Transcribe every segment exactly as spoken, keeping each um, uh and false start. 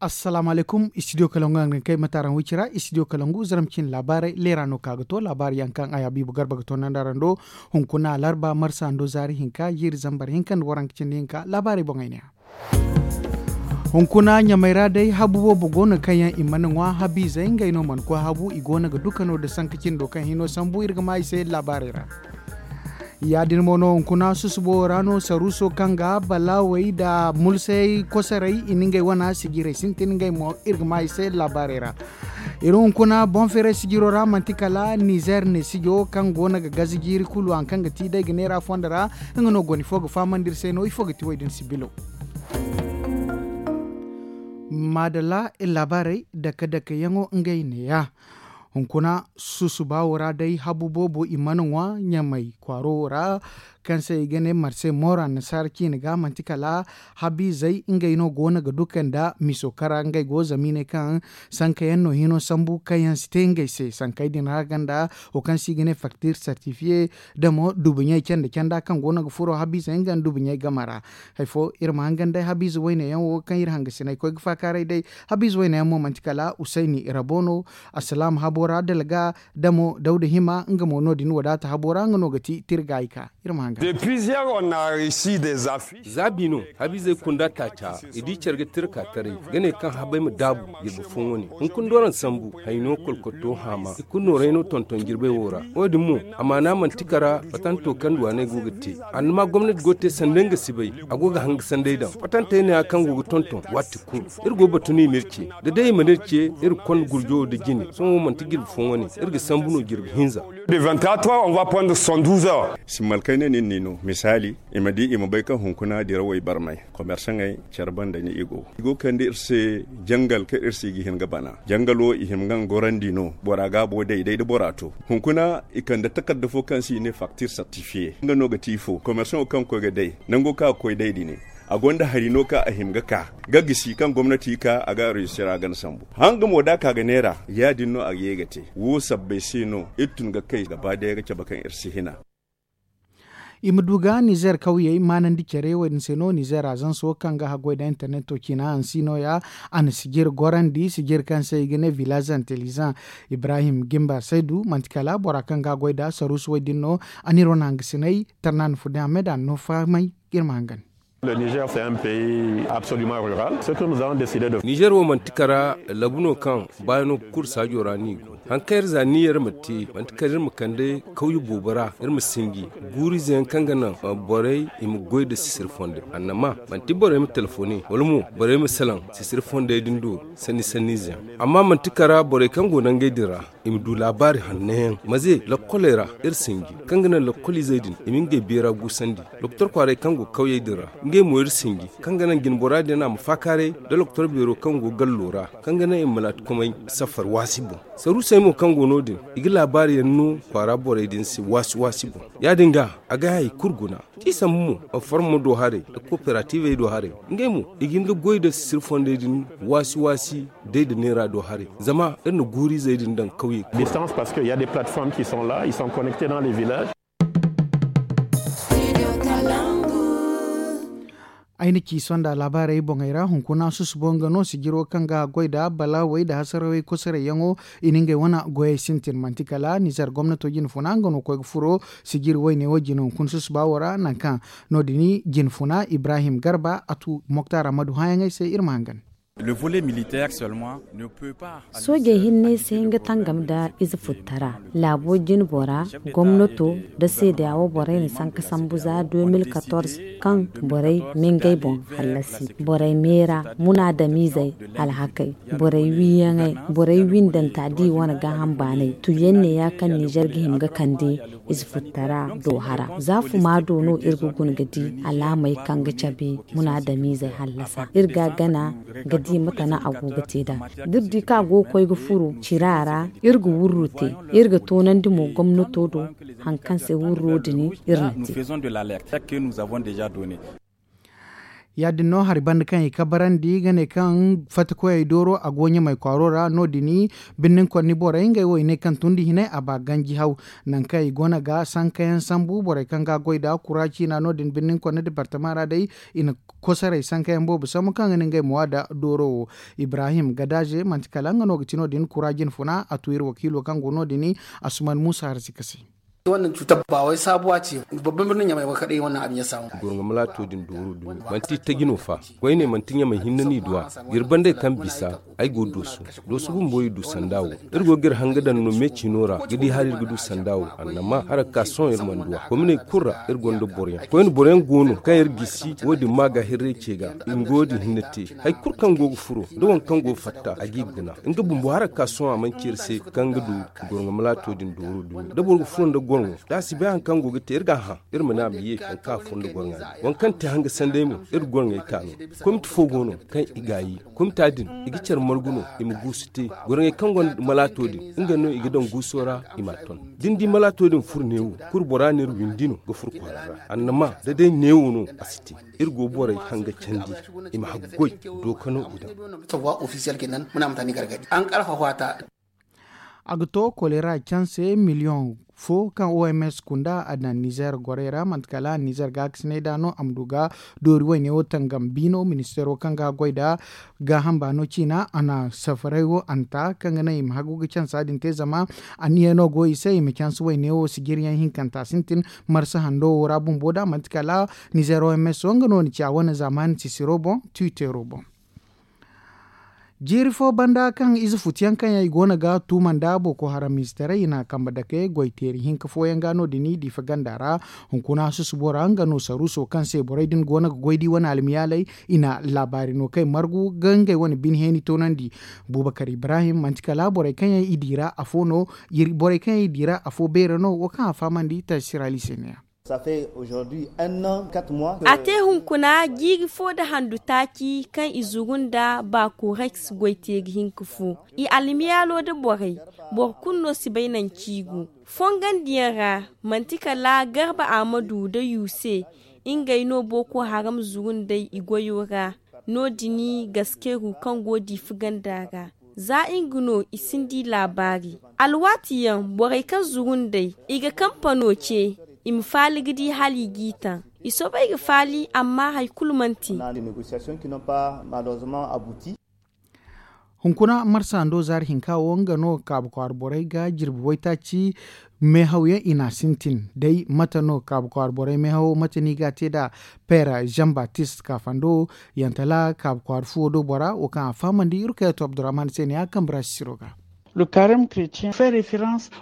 Assalaamu alaykum, istidiyo kalangu yaŋ ga kay mate araŋ wicira. Istidiyo kalangu zaram cine laabaarey leera no ka ga to laabaari yaŋ kaŋ a ya biibu garba ga to nanda araŋ do. Hunkuna larba marsa ndo zaari hinka jiiri zambar hinka nda waranka cindi hinka laabaarey boŋey ne ya. Hunkuna ɲamey ra day habu boobo go no kaŋ yaŋ i mana ŋwa habiizey ngey no mana koy habu i go no ga dukano nda sanka cindo kaŋ hino sambu iri ga ma i se laabaarey ra. Ya- din mo no hunkuna susubo ra no saruuso kaŋ ga balaawey nda mulsey kosoray i na ngey wana sijirey sintin ngey mo iri ga ma i se laabaarey ra. Iri hunkuna boŋ feeray sijiro ra manti kala nizer ne sijo kaŋ go no ga gaze jiiri kulu hari kaŋ ga ti day ga neera fondo ra. Nga no goni fo ga fahamandi iri se no ifo ga ti wo- din sibilo. Maadalla iri laabaarey dake dake yaŋo ngey ne- ya. Hunkuna susuba wo ra day habu boobo i mana ŋwa ɲamey kwaaro wo ra kaŋ se i ga ne marse moora nasaara ciine ga manti kala habiizey ngey no go no ga duka nda miso kara ngey go zama i ne kaŋ sanka yaŋ no hino sambu kaŋ yaŋ si te ngey se sankey din ra ganda wo kaŋ se i ga ne faktir sertifiye da mo dubuɲey canda canda kaŋ go no ga furo habiizey nga nda dubuɲey game ra. Hari fo iri ma hangan day habiize wayne yaŋ wo kaŋ iri hangasiney koy ga faakaaray day. Habiize wayne yaŋ mo manti kala usayni rabo no. Assalaam habo ra dalga da mo dawda hima nga mo no- din wadaata habo ra nga no ga ti tirgaayi ka. Iri ma hangan. Za bi no habiizey kunda taaca i di care ga tirka taray ga ne kaŋ habey ma daabu jirbi fooyaŋ wane. Hunkuna dooraŋ sambu hayno kolkoto haama i kulu nooray no tonton jirbey wo ra. Wo- din mo amaana manti kara fatanto kaŋ duwaaney go ga te. Annama gomnati go ga te sanda nga si bay a go ga hanga sanday daŋ fatantey ne ya kaŋ go ga tonton waati kulu. Iri go ga batu no i ma iri ce da day i mana iri ce iri konda gurjo wo da jine sohõ wo manti jirbi fooyaŋ wane. Iri ga sambu no jirbi hinza. Simmalkayne nin ni no misaali i ma di i ma bay kaŋ hunkuna dirawey barmay komersaŋey care banda ni i go i go ga kande iri se jangal kaŋ iri se i ga hin ga bana. Jangal wo i hima ga nga gorandi no bora gaabo day day da bora to. Hunkuna i kande takarda fo kaŋ se i ne faktir sertifiye nga no ga ti ifo komersaŋo kaŋ ga koy ga day nango kaŋ a ga koy day din a gonda hari no kaŋ a hima ga ka ga gisi kaŋ gomnati ka a ga areesira gana sambu. Hanga mo da a ka ga neera ya- din no a ga ye ga te wo sabbay se no iri tun ga kay gaba day ga cabe kaŋ iri si hina. I ma du ga nizer kawyey maanandi care wo- din se no nizer azanso kaŋ ga haggoy nda interneto ciina hansi no- ya. A na sijir gorandi sijir kaŋ se i ga ne vilaz intelizan ibrahim gimba saydu manti kala bora kaŋ ga haggoy nda saruusu wo- din no. A na iri wane hangasiney tarna na furdi hammey da a na no fahamay. Iri ma hangan. Nizer wo manti kara labu no kaŋ baayi no ga kuru saajo ra no i go. Hari kaŋ iri za niyyar ma te manti kala iri ma kande kawye boobo ra iri ma sinji guuriize yaŋ kaŋ ga naŋ borey i ma goy nda sisiri fondey annama manti borey ma telefone wala mo borey ma salaŋ sisiri fondey din do sanni sanniize yaŋ. Amma manti kara borey kaŋ go nangey din ra i ma du laabaari hanno yaŋ maze lokkoley ra iri sinji kaŋ ga naŋ lokkoliizey din i ma ngey beera guusandi. Doktor kwaarey kaŋ go kawyey din ra ngey mo iri sinji kaŋ ga naŋ jinbora din a ma faakaaray nda doktor beero kaŋ go gallo ra kaŋ ga naŋ i ma laatikomey safar waasi boŋ. Saruusey mo kaŋ go no- din i ga laabaari yaŋ no kwaara borey din se waasi waasi boŋ. Ya- din ga a ga hay kulu guna. Ti sambu mo, formo do haray nda kooperativey do haray ngey mo i ga hin ga goy nda sisiri fondey din waasi waasi day nda neera do haray zama iri na guuriizey din daŋ kawyey kulu. Ay na ci sonda laabaarey boŋey ra hunkuna susubo nga no sijiro kaŋ ga goy nda balaawey nda hasarawey kosorey yaŋo. I na ngey wane goyey sintin manti kala nizer gomnato jine funa nga no koy ga furo sijiri wayne wo jine hunkuna susuba wo ra nangu kaŋ no- din jine funa ibrahim garba a tu moktar ammadu hãyaŋey se iri ma hangan. Soojey hinne si hin ga tangam nda ize futtara laabo jinbora gomnato nda seedeya wo borey na sanka sambu za deux mille quatorze kaŋ borey ma ngey boŋ hallasi borey meera munaadamiizey alhakey borey wiiyaŋey borey windanta da i wane gaaham baanay tuyaŋ neeya kaŋ nizer ga hima ga kande ize futtara do hara za fuma do no iri ga guna ga di alaamey kaŋ ga cabe munaadamiizey hallasa iri ga gana ga di mate no a go ga te nd'a da iri di kaŋ a go ga koy ga furo cira ra iri ga wurru te iri ga toonandi mo gomnato do hari kaŋ se wurro din iri na te. Ya- din no hari banda kaŋ i kabarandi ga ne kaŋ fattakoyey dooro a go ɲamay kwaaro ra no- din birnin konni borey ngey wo i ne kaŋ tundi hinay a ba ganji haw nangu kaŋ i go no ga sankayaŋ sambu borey kaŋ ga goy nda kura ciina no- din birnin konni departama ra day i na kosoray sankayaŋ boobo sambu kaŋ ga ne ngey ma waada dooro wo. Ibrahim gadaaze manti kala nga no ga ti no- din kura jinfuna a tu iri wakiilo kaŋ go no- din. Asuman muusa harzika se. Gorŋo malaato din dooro dumi manti taji no fa. Koyne manti ɲamay hinne no i du a. Jirbi banday kaŋ bisa ay go doosu. Doosu bumbo i du sanda wo. Iri go ga iri hanga daŋ no me ciino ra ga di hala iri ga du sanda wo annama hara ga ka sohõ iri mana du a kominey kulu ra. Iri gonda boroyaŋ koyne boroyaŋ go no kaŋ iri gisi wo- din ma ga hirray ce ga. I ma go din hinne te. Hari kulu kaŋ go ga furo da waŋ kaŋ go ga fatta a g'i guna. Nga bumbo hara ga ka sohõ a mana ci iri se kaŋ ga du. Gorŋo malaato din dooro dumi da boro ga furo nda gorŋo da a si bay hari kaŋ go ga te iri ga a hã. Iri ma ne a ma ye hari kaŋ a furo nda gorŋa din waŋ kaŋ te hanga sanday mo. Iri gorŋey ka no. Komiti fo go no kaŋ i gaayi. Komita din i ga care margu no. I ma guusu te. Gorŋey kaŋ gonda malaato din nga no i ga daŋ guuso ra. I m'a ton da ni di malaato din furo neewo. Kulu bora ne iri windi no ga furo kwaara ra annama da day neewo no. A si te. Iri go borey hanga candi i ma haggoy. Dookano i daŋ. A ga to kolera canse miliyoŋ fo kaŋ oms kunda a daŋ nizer gorey ra manti kala nizer gaakasinay da no a ma du ga doori wayne wo tangam biino ministeero kaŋ ga goy nda gaaham baano ciina a na safaray wo a na ta kaŋ ga naŋ i ma hagu ga cansa din te zama anniya no go i se i ma canse wayne wo sijiriyaŋ hinkanta sintin. Marsa hando wo ra bumbo da manti kala nizer oms wo nga no na ci a wane zaamaani sisiro boŋ. Tiwiteero boŋ. Jiiri fo banda kaŋ ize futuyaŋ kaŋ yaŋ i go no ga tuuma nda boko haram izetaray i na kambe dake goy teeri hinka fooyaŋ ga no- din diifa ganda ra. Hunkuna susubo ra nga no saruuso kaŋ se borey din go no ga goy da i wane almiyaaley. I na laabaari no kaŋ i margu ga ngey wane bine heeni toonandi. Buubakar ibrahim manti kala borey kaŋ yaŋ i di ra afo no. Borey kaŋ yaŋ i di ra afo beera no wo kaŋ a fahamandi taasi ra liisey ne ya. A te hunkuna jiiri fo nda handu taaci kaŋ i zuru nda bakoreks goyteeri hinka fo. I almiyaalo nda borey boro kulu no si bay nanci i go. Fongandiyaŋ ra manti kala garba ahmadu nda yuse. Ngey no boko haram zuru nd'ey i goyo ra. No- din gaskeru kaŋ go diifa ganda ra za nga no i sinda i laabaari. Alwaati yaŋ borey kaŋ zuru nd'ey i ga kampano ce. I ma faali ga di hala i g'i taŋ. I soobay ga faali amma hari kulu mana te. Hunkuna marsa hando zaari hinka wo nga no kaabu kwaara borey ga jirbi waytaaci. Meehawyaŋ i n'a sintin day mate no kaabu kwaara borey meehawo mate no i ga a te nd'a? Peera jean baptiste kaafando yantala kaabu kwaara fuwo do bora wo kaŋ a fahamandi iri kayatu abdurrahman se ne a kambe ra sisiro ga.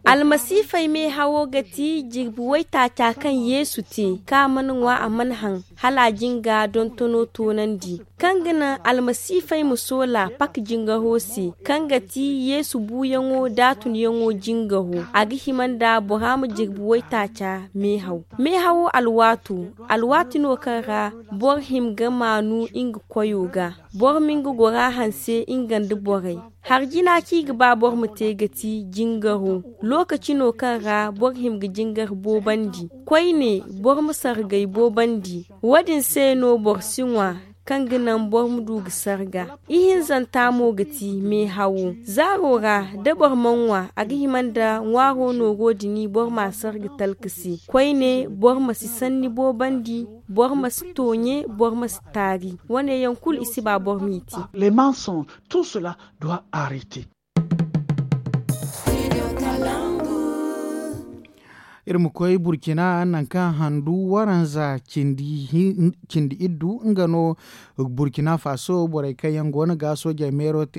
Almasiifey meehawo ga ti jirbi waytaaca kaŋ yeesu te kaŋ a mana ŋwa a mana haŋ hala a jinga dontono toonandi. Kaŋ ga naŋ almasiifey ma soola pak jingaro se kaŋ ga ti yeesu buuyaŋo da a tunyaŋo jingaro a ga hima nda bora ma jirbi waytaaca. Meehaw meehawo alwaato alwaati no kaŋ ra boro hima ga maanu nga koyo ga. Boro ma nga gora hanse nga nda borey. Hari jina kaŋ i ga ba boro ma te ga ti jingaro. Lookaci no kaŋ ra boro hima ga jingar boobandi koyne boro ma sargay boobandi. Wo- din se no boro si ŋwa kaŋ ga naŋ boro ma du ga sarga. Ihinzanta mo ga ti meehawo zaaro ra da boro mana ŋwa a ga hima nda ŋwaaro nooro din boro m'a sarga talka se. Koyne boro ma si sanni boobandi. Boro ma si tooɲe boro ma si taari. Wane yaŋ kulu i si ba boro m'i te. Iri ma koy burkina nangu kaŋ handu waranza cindi iddu nga no. Burkina faso borey kaŋ yaŋ go no ga soojey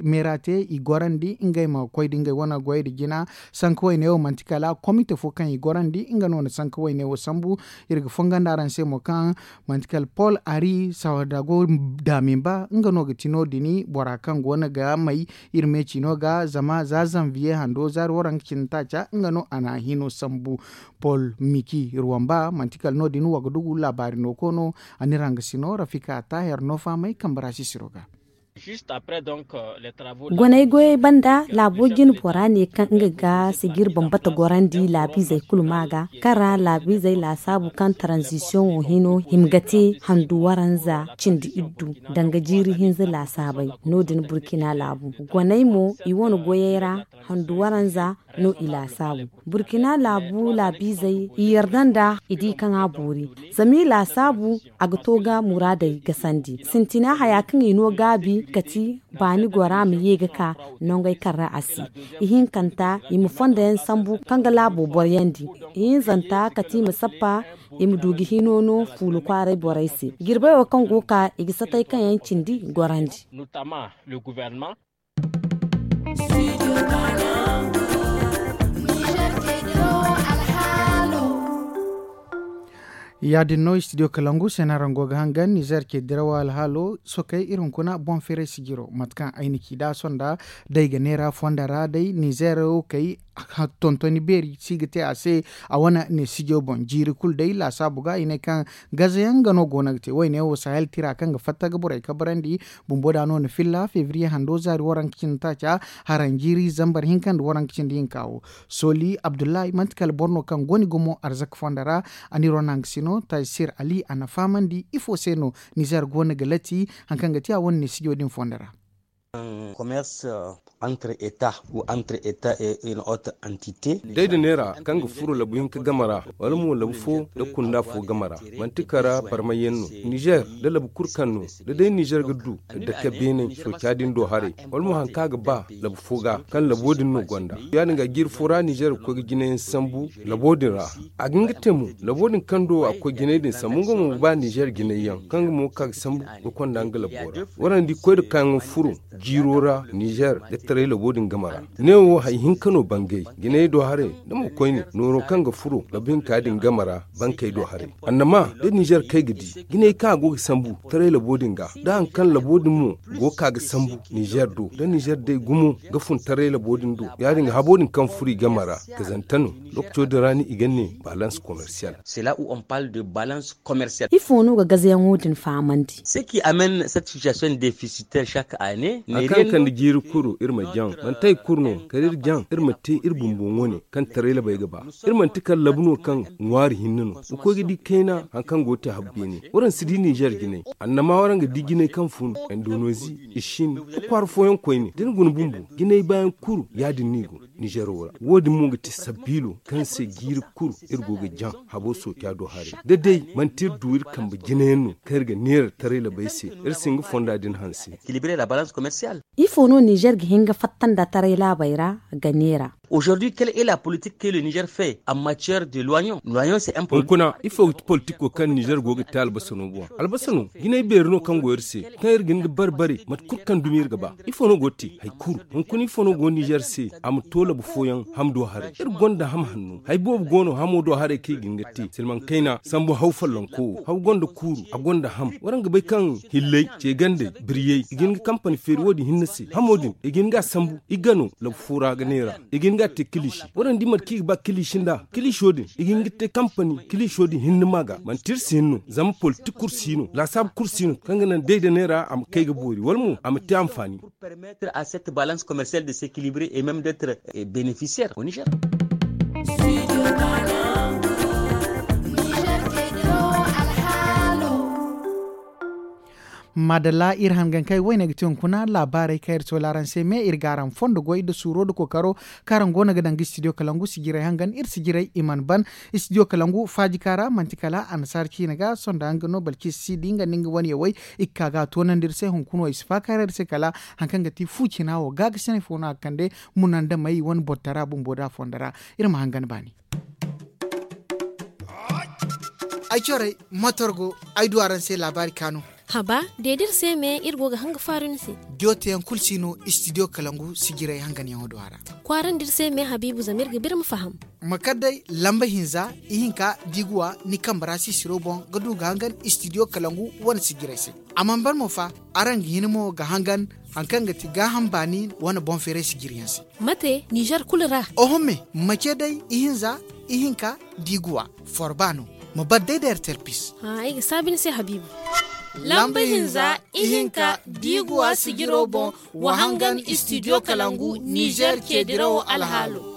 meera te i gorandi ngey ma koy da ngey wane goy nda jina. Sanka wayne wo manti kala komite fo kaŋ i gorandi nga no na sanka wayne wo sambu. Iri ga fongondi araŋ se mo kaŋ manti kala paul ari sawadago damin ba nga no ga ti no- din bora kaŋ go no ga may. Iri me ciino ga zama za zanviye hando zaari waranka cindi taaca nga no a na hino sambu. Paul miki ruwamba manti kala no- din wagadugu laabaari no ko no. A n'iri haŋ ga sino rafika taahir no fahamay kambe ra sisiro ga. Goney goyey banda laabo jine bora ne kaŋ nga ga sijir bambata gorandi laabiizey kulu ma ga kaŋ ra laabiizey laasaabu kaŋ taranzisiyoŋo hino hima ga te handu waranza cindi iddu danga jiiri hinza laasaabey. No- din burkina laabu goney mo i wane goyey ra handu waranza no i laasaabu. Burkina laabu laabiizey i yarda nda i di kaŋ a boori zama i laasaabu a ga to ga muraadey gasandi sintina haya kaŋ i no gaabi kati baani gora ma ye ga ka nongey kaŋ ra a si. Ihinkanta i ma fondo yaŋ sambu kaŋ ga laabo boroyandi. Ihinzanta kati i ma sappa i ma du ga hino no fuula kwaaray borey se. Jirbey wo kaŋ go ga ka i ga satay kaŋ yaŋ cindi gorandi. Ya- din no studio kalangu se no araŋ go ga hangan nizer ce dirawa alhaalo sokey iri hunkuna boŋ firay sijiro mate kaŋ ay na ci da sonda day ga neera fonda ra day nizer wo kay tontoni beeri si ga te a se. A wane neesijo boŋ jiiri kulu day laasaabu ga i ne kaŋ gazayaŋ ga no go no ga te wayne wo sahel tira kaŋ ga fatta ga borey kabarandi. Bumbo da no na filla febriye hando zaari waranka cindi taaca haranjiiri zambar hinka nda waranka cindi hinka wo. Soli abdullahi manti kala boro no kaŋ go ni gumo arzaka fondo ra. A na iri wane hangasino taysir ali a na fahamandi ifo se no nizer go no ga lati hari kaŋ ga te a wane neesijo din fondo ra. Commerce entre état ou entre état et une autre entité. Day da neera kaŋ ga furo labu hinka game ra wala mo labu fo nda kunda fo game ra, manti kara barmayyaŋ no nizer nda labu kulu kaŋ no da day nizer ga du dake beene sooca din do haray wala mo hari kaŋ a ga ba labu fo ga kaŋ labo din no gonda. Ya- din ga jiiri fo ra nizer ga koy ga jinayaŋ sambu labo din ra. A ga hin ga te mo labo din kaŋ do a ga koy jinay din sambu nga mo ga ba nizer jinay yaŋ kaŋ nga mo ga ka ga sambu ga konda nga labo ra. Waraŋ di koy da kaŋ ga furo jiiro ra nizer ga taray labo din game ra. Ne wo hari hinka no bangay jinay do haray da mo koyne nooro kaŋ ga furo labu hinka din game ra bankey do haray. Annama da nizer kay ga di jinay kaŋ a go ga sambu taray labo din ga da hari kaŋ labo din mo go ga ka ga sambu nizer do da nizer day gumo ga fun taray labo din do. Ya- din ga habo din kaŋ furo i game ra ga zanta no. Lookaco din ra no i ga ne balance commercial. C'est là où on parle de balance commercial. Ifo no ga gazayaŋo din fahamandi? Ce qui amène cette situation déficitaire chaque année ne hari kaŋ ga kande jiiri kulu iri ma jaŋ manti hari kulu no kala iri jaŋ iri ma te iri bumbo wane kaŋ taray labey ga ba. Iri manti kala labu no kaŋ ŋwaari hinne no ga koy ga di kayna hari kaŋ go ga te habu beene. Waraŋ si di nizer jinay annama waraŋ ga di jinay kaŋ fun indonozi, i sin, ga kwaara fooyaŋ koyne da ni guna bumbo jinay baayaŋ kulu ya- din no i go. Nizero ra wo- din mo ga ti sabiilo kaŋ se jiiri kulu iri go ga jaŋ habo sooca do haray da day manti iri du iri kambe jinayaŋ no kaŋ iri ga neera taray labey se. Iri si hin ga fonda din hanse. Ifo no nizer ga hin ga fatta nda taray laabey ra ga neera? Aujourd'hui quelle est la politique que le nizer fait en matière de loignon? Loignon c'est un produit. Hunkuna ifo ga ti politiko kaŋ nizer go ga te albasa no boŋ albasa no jinay beeri no kaŋ go iri se kaŋ iri ga hin ga bare bare mate kulu kaŋ dumi iri ga ba. Ifo no go ga te hari kulu hunkuna ifo no go nizer se a ma to labu fooyaŋ ham do haray iri gonda ham hanno hari boobo go no hamo do haray kaŋ i ga hin ga te silmaŋ kayna sambu haw follonko wo haw gonda kuuru a gonda ham waraŋ ga bay kaŋ hilley ce gandey biriyey i ga hin ga kampani feeri wo- din hinne se hamo din i ga hin ga a sambu i ga no labu fo ra ga neera. I ga hin ga a te kiliisi waraŋ di mate kaŋ i ga ba kiliisi nd'a kiliiso din i ga hin ga te kampani kiliiso din hinne ma ga manti iri si hin no zama politik kulu si no laasaabu kulu si no kaŋ ga naŋ day da neera a ma kay ga boori wala mo a ma te anfaani. Permettre à cette balance commerciale de s'équilibrer et même d'être bénéficiaire au niger. Madalla iri hangankey wayne ga ti hunkuna laabaarey kaŋ iri soola araŋ se me iri ga araŋ fondo goy nda suuro nda kookaro kaŋ araŋ go no ga daŋ ga studio kalangu sijirey hangan iri sijirey i mana ban. Studio kalangu faajika ra manti kala annasaara ciine ga sonda nga no balkis si di nga nda nga wane yawey i ga ka ga a toonandi iri se hunkuna wo i si faakaaray iri se kala hari kaŋ ga ti fu cina wo gaagasinay fo no a ga kande. Munandamey wane bortara bumbo da a fondo ra. Iri ma hangan baani. Ay corey matorgo ay du araŋ se laabaari kaanu. Haba deedi iri se me iri go ga hanga faaru ni se. Diyo teyaŋ kulu si no istidiyo kalangu sijirey hanganyaŋo do a ra. Kwaarandi iri se me habiibu zama iri ga ba iri ma faham. Ma kar day lamba hinza ihinka da i ga wa ni kambe ra sisiro boŋ ga du ga hangan istidiyo kalangu wane sijirey se. A mana ban mo fa araŋ ga hin mo ga hangan hari kaŋ ga ti gaaham baani wane boŋ feeray sijiriyaŋ se. Mate nizer kulu ra? Oho me mace day ihinza ihinka da i ga wa forba no. Ma bar day da ertel pis. Ay ga saabi ni se habiibu. Lamba hinza, ihinka, biiguwa sijiro boŋ, wa hangan istidiyo kalangu nizer ceedirawo alhaalo.